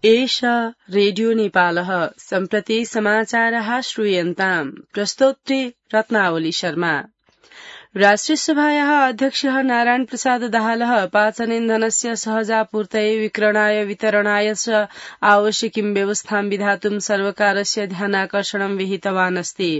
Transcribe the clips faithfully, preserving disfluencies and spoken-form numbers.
एषा रेडियो नेपालः सम्प्रति समाचारः श्रूयन्ताम् प्रस्तोत्री रत्नावली शर्मा। राष्ट्रिय सभायाः अध्यक्षः नारायण प्रसाद दाहालः पाचनेन्धनस्य सहजापूर्तये विक्रयणाय वितरणाय च आवश्यकीं व्यवस्थां विधातुं सर्वकारस्य ध्यानाकर्षणं विहितवान् अस्ति।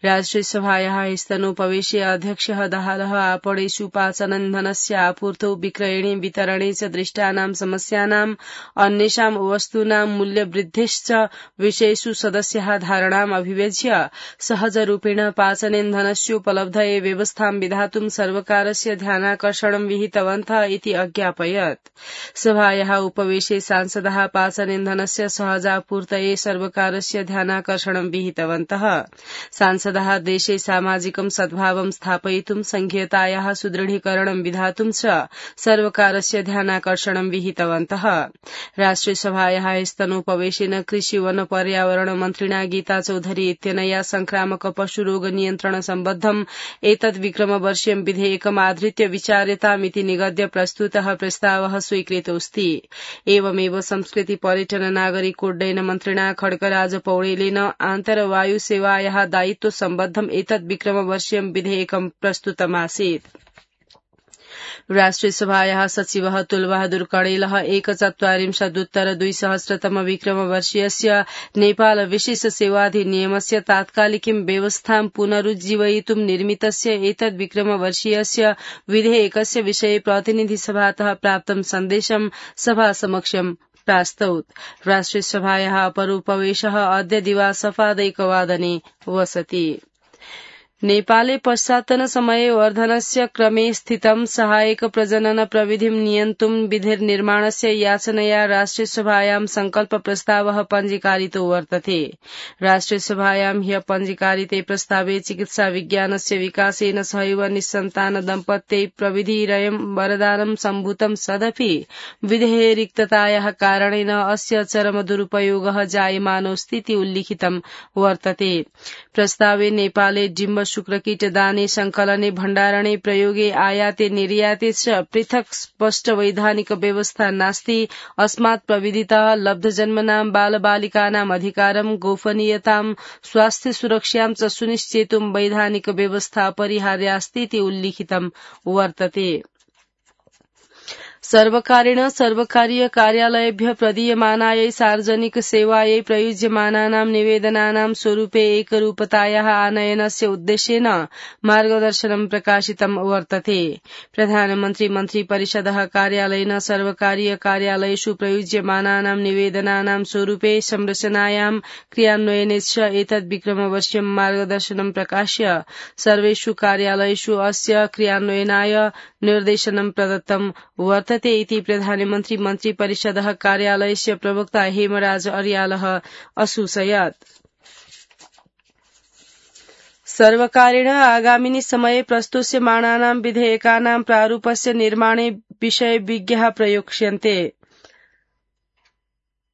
राष्ट्रिय सभायाः स्तनोपवेशे अध्यक्षः दाहालः आपणेषु पाचनेन्धनस्य आपूर्तौ विक्रयणे वितरणे च दृष्टानां समस्यानाम् अन्येषां वस्तूनां मूल्यवृद्धिश्च विषयेषु सदस्याः धारणाम् अभिव्यज्य सहजरूपेण पाचनेन्धनस्योपलब्धये व्यवस्थां विधातुं सर्वकारस्य ध्यानाकर्षणं विहितवन्तः इति अज्ञापयत्। सभायाः उपवेशे सांसदाः पाचनेन्धनस्य सहजापूर्तये सर्वकारस्य ध्यानाकर्षणं विहितवन्तः। सांसदाः देशे सामाजिकं सद्भावं स्थापयितुं संघीयतायाः सुदृढीकरणं विधातुं च सर्वकारस्य ध्यानाकर्षणं विहितवन्तः। राष्ट्रिय सभायाः स्तनोपवेशेन कृषि वन पर्यावरण मन्त्रिणा गीता चौधरी इत्यनया संक्रामक पशुरोग नियन्त्रण सम्बद्धम् एतद् विक्रमवर्षीयं विधेयकम् आधृत्य विचार्यतामिति निगद्य प्रस्तुतः प्रस्तावः स्वीकृतोऽस्ति। एवमेव संस्कृति पर्यटन नागरिकोड्डयन मन्त्रिणा खड्गराज पौडेलेन आन्तरवायु सेवायाः दायित्व सम्बद्धम् एतद् विक्रमवर्षीयं विधेयकं प्रस्तुतमासीत्। राष्ट्रिय सभायाः सचिवः तुलबहादुर कणेलः एकचत्वारिंशदुत्तर द्विसहस्रतम विक्रमवर्षीयस्य नेपाल विशेष सेवाधिनियमस्य तात्कालिकीं व्यवस्थां पुनरुज्जीवयितुं निर्मितस्य एतद् विक्रमवर्षीयस्य विधेयकस्य विषये प्रतिनिधिसभातः प्राप्तं सन्देशं सभासमक्षं प्रास्तौत्। राष्ट्रिय सभायाः अपरोपवेशः अद्य दिवासफादैकवादने वसति। नेपाले पश्चात्तन समये वर्धनस्य क्रमे स्थितं सहायक प्रजनन प्रविधिं नियन्तुं विधिर्निर्माणस्य याचनया राष्ट्रिय सभायां संकल्प प्रस्तावः पञ्जीकारितो वर्तते। राष्ट्रिय सभायां ह्य पञ्जीकारिते प्रस्तावे चिकित्सा विज्ञानस्य विकासेन सहैव निस्सन्तान दम्पत्यै प्रविधिरयं वरदानं सम्भूतं सदपि विधेये रिक्ततायाः कारणेन अस्य चरम दुरुपयोगः जायमानोऽस्तीति उल्लिखितं वर्तते। प्रस्तावे नेपाले डिम्ब शुक्रकीट दाने संकलने भण्डारणे प्रयोगे आयाते निर्याते च पृथक् स्पष्ट वैधानिक व्यवस्था नास्ति। अस्मात् प्रविधितः लब्धजन्मनां बालबालिकानाम् अधिकारं गोपनीयतां स्वास्थ्य सुरक्षां च सुनिश्चेतुं वैधानिक व्यवस्था अपरिहार्यास्तीति उल्लिखितं वर्तते। सर्वकारेण सर्वकारीय कार्यालयेभ्यः प्रदीयमानायै सार्वजनिक सेवायै प्रयुज्यमानानां निवेदनानां स्वरूपे एकरूपतायाः आनयनस्य उद्देश्येन मार्गदर्शनं प्रकाशितं वर्तते। प्रधानमन्त्री मन्त्रिपरिषदः कार्यालयेन सर्वकारीय कार्यालयेषु प्रयुज्यमानानां निवेदनानां स्वरूपे संरचनायां क्रियान्वयने च एतद् विक्रमवर्षीयं मार्गदर्शनं प्रकाश्य सर्वेषु कार्यालयेषु अस्य क्रियान्वयनाय निर्देशनं प्रदत्तं वर्तते इति प्रधानमन्त्री मन्त्रिपरिषदः कार्यालयस्य प्रवक्ता हेमराज अर्यालः असूचयत्। सर्वकारेण आगामिनि समये प्रस्तुस्यमाणानां विधेयकानां प्रारूपस्य निर्माणे विषयविज्ञाः प्रयोक्ष्यन्ते।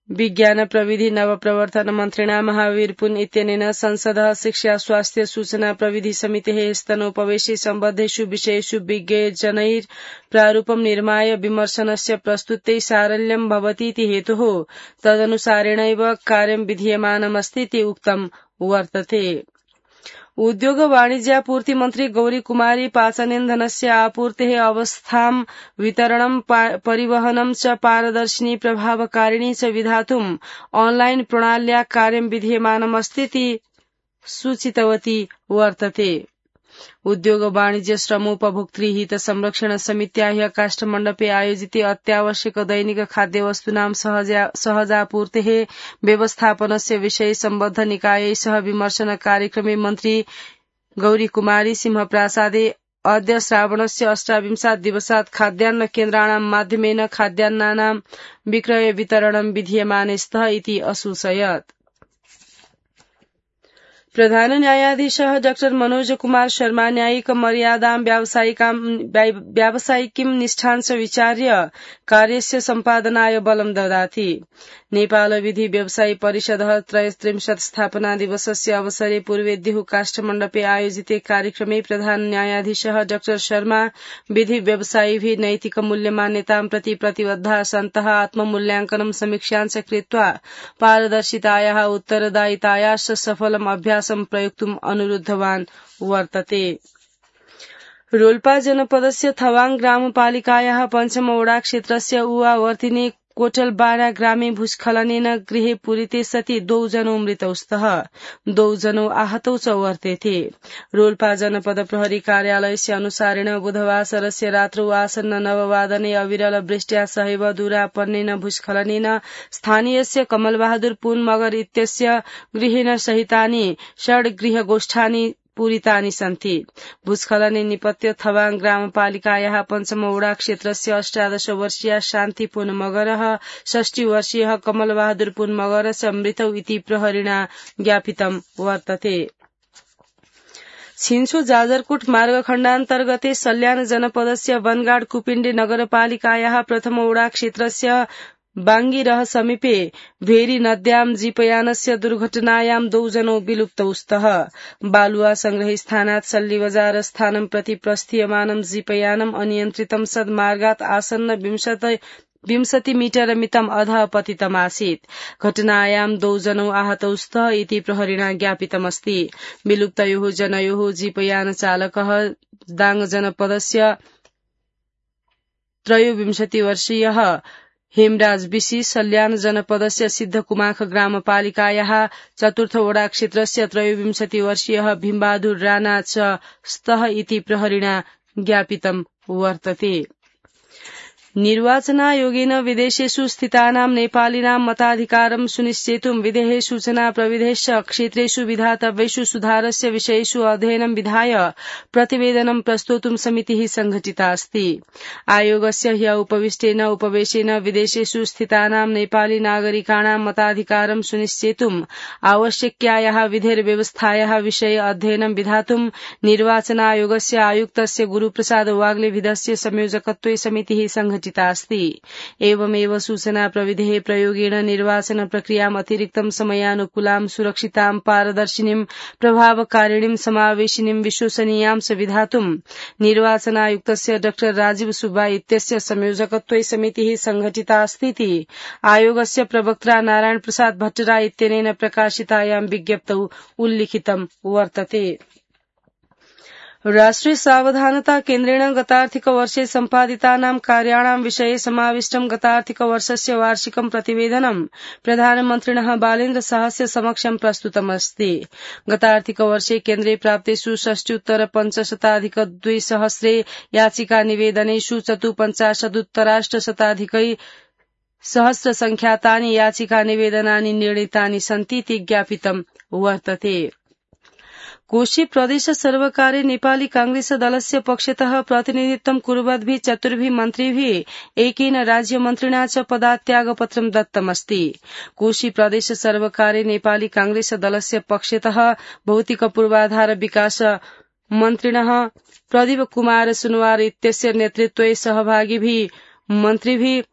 विज्ञान प्रविधि नवप्रवर्तन मन्त्रिणा महावीर पुन इत्यनेन संसदः शिक्षा स्वास्थ्य सूचना प्रविधि समितेः स्तनोपवेशे सम्बद्धेषु विषयेषु विज्ञजनैः प्रारूपं निर्माय विमर्शनस्य प्रस्तुते सारल्यं भवतीति हेतुः तदनुसारेणैव कार्यं विधीयमानमस्तीति उक्तं वर्तते। उद्योग वाणिज्यापूर्ति मन्त्री गौरी कुमारी पाचनेन्धनस्य आपूर्तेः अवस्थां वितरणं परिवहनं च पारदर्शिनी प्रभावकारिणी च विधातुं ऑनलाइन प्रणाल्या कार्यं विधीयमानमस्तीति सूचितवती वर्तते। उद्योग वाणिज्य श्रमोपभोक्तृ हित संरक्षण समित्या ह्य काष्ठमण्डपे आयोजिते अत्यावश्यक दैनिक खाद्यवस्तूनां सहजापूर्तेः व्यवस्थापनस्य विषये सम्बद्ध निकायै सह विमर्शन कार्यक्रमे मन्त्री गौरी कुमारी सिंह प्रासादे अद्य श्रावणस्य अष्टाविंशात् दिवसात् खाद्यान्न केन्द्राणां माध्यमेन खाद्यान्नानां विक्रय वितरणं विधीयमाने स्तः इति असूचयत्। प्रधान न्यायाधीशः डाक्टर मनोज कुमार शर्मा न्यायिक मर्यादां व्यावसायिकीं निष्ठांश विचार्य कार्यस्य सम्पादनाय बलं ददाति। नेपाल विधि व्यवसायी परिषदः त्रयस्त्रिंशत् स्थापना दिवसस्य अवसरे पूर्वेद्युः काष्ठमण्डपे आयोजिते कार्यक्रमे प्रधान न्यायाधीशः डाक्टर शर्मा विधि व्यवसायिभिः नैतिक मूल्यमान्यतां प्रति प्रतिबद्धाः सन्तः आत्ममूल्याङ्कनं समीक्षाञ्च कृत्वा पारदर्शितायाः उत्तरदायितायाश्च सफलम् अभ्यासं प्रयोक्तुम् अनुरुद्धवान् वर्तते। रोल्पा जनपदस्य थवाङ ग्रामपालिकायाः पञ्चमवडा क्षेत्रस्य उवावर्तिनी कोटलबारा ग्रामे भूस्खलनेन गृहे पूरिते सति द्वौ जनौ मृतौ स्तः, द्वौ जनौ आहतौ च वर्तेथे। रोल्पा जनपद प्रहरी कार्यालयस्य अनुसारेण बुधवासरस्य रात्रौ आसन्न नववादने अविरल वृष्ट्या सहैव दूरापन्नेन भूस्खलनेन स्थानीयस्य कमलबहादुर पुन मगर इत्यस्य गृहेण सहितानि षड् गृहगोष्ठानि पूरितानि सन्ति। भूस्खलने निपत्य थवाङ ग्रामपालिकायाः पञ्चमवडा क्षेत्रस्य अष्टादश वर्षीया शान्ति पुन मगरः षष्टि वर्षीयः कमलबहादुर पुन मगर च मृतौ इति प्रहरिणा ज्ञापितं वर्तते। छिन्सु जाजरकोट मार्गखण्डान्तर्गते सल्यान जनपदस्य वनगाड कुपिण्डे नगरपालिकायाः प्रथमवडा क्षेत्रस्य बाङ्गिरह समीपे भेरी नद्यां जीपयानस्य दुर्घटनायां द्वौ जनौ विलुप्तौ स्तः। बालुवा संग्रहस्थानात् सल्लीबजार स्थानं प्रति प्रस्थीयमानं जीपयानम् अनियन्त्रितं सद्मार्गात् आसन्न विंशति मीटर मितम् अधः पतितमासीत्। घटनायां द्वौ जनौ आहतौ स्तः इति प्रहरिणा ज्ञापितमस्ति। विलुप्तयोः जनयोः जीपयान चालकः दाङ जनपदस्य त्रयोविंशति वर्षीयः हेमराज बिसी, सल्यान जनपदस्य सिद्धकुमाख ग्रामपालिकायाः चतुर्थवडा क्षेत्रस्य त्रयोविंशति वर्षीयः भीमबहादुर राणा च स्तः इति प्रहरिणा ज्ञापितं वर्तते। निर्वाचनायोगेन विदेशेषु स्थितानां नेपालिनां मताधिकारं सुनिश्चेतुं विधेः सूचना प्रविधेश्च क्षेत्रेषु विधातव्येषु सुधारस्य विषयेषु अध्ययनं विधाय प्रतिवेदनं प्रस्तोतुं समितिः संघटिता अस्ति। आयोगस्य ह्य उपविष्टेन उपवेशेन विदेशेषु स्थितानां नेपाली नागरिकाणां मताधिकारं सुनिश्चेतुं आवश्यक्यायाः विधेर्व्यवस्थायाः विषये अध्ययनं विधातुं निर्वाचनायोगस्य आयुक्तस्य गुरुप्रसाद वाग्लेभिदस्य संयोजकत्वे समितिः संघटिता अस्ति। एवमेव सूचना प्रविधेः प्रयोगेण निर्वाचन प्रक्रियाम् अतिरिक्तं समयानुकूलां सुरक्षितां पारदर्शिनीं प्रभावकारिणीं समावेशिनीं विश्वसनीयां च विधातुं निर्वाचनायुक्तस्य डॉ राजीव सुब्बा इत्यस्य संयोजकत्वे समितिः संघटिता अस्तीति आयोगस्य प्रवक्ता नारायण प्रसाद भट्टराय इत्यनेन प्रकाशितायां विज्ञप्तौ उल्लिखितं वर्तते। राष्ट्रिय सावधानता केन्द्रेण गतार्थिक वर्षे सम्पादितानां कार्याणां विषये समाविष्टं गतार्थिक वर्षस्य वार्षिकं प्रतिवेदनं प्रधानमन्त्रिणः बालेन्द्र शाहस्य समक्षं प्रस्तुतमस्ति। गतार्थिक वर्षे केन्द्रे प्राप्तेषु षष्ट्युत्तर पञ्चशताधिक द्विसहस्रे याचिका निवेदनेषु चतुपञ्चाशदुत्तराष्टशताधिकै सहस्र संख्यातानि याचिका निवेदनानि निर्णीतानि सन्तीति ज्ञापितं वर्तते। कोशी प्रदेश सर्वकारे नेपाली कांग्रेस दलस्य पक्षतः प्रतिनिधित्वं कुर्वद्भिः चतुर्भिः मन्त्रिभिः एकेन राज्यमन्त्रिणा च पदात्यागपत्रं दत्तमस्ति। कोशी प्रदेश सर्वकारे नेपाली कांग्रेस दलस्य पक्षतः भौतिक पूर्वाधार विकास मन्त्रिणः प्रदीप कुमार सुनवार इत्यस्य नेतृत्वे सहभागिभिः मन्त्रिभिः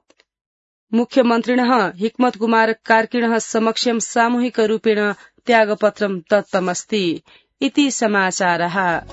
मुख्यमन्त्रिणः हिक्मत कुमार कार्किणः समक्षं सामूहिक रूपेण त्यागपत्रं दत्तमस्ति इति समाचारः।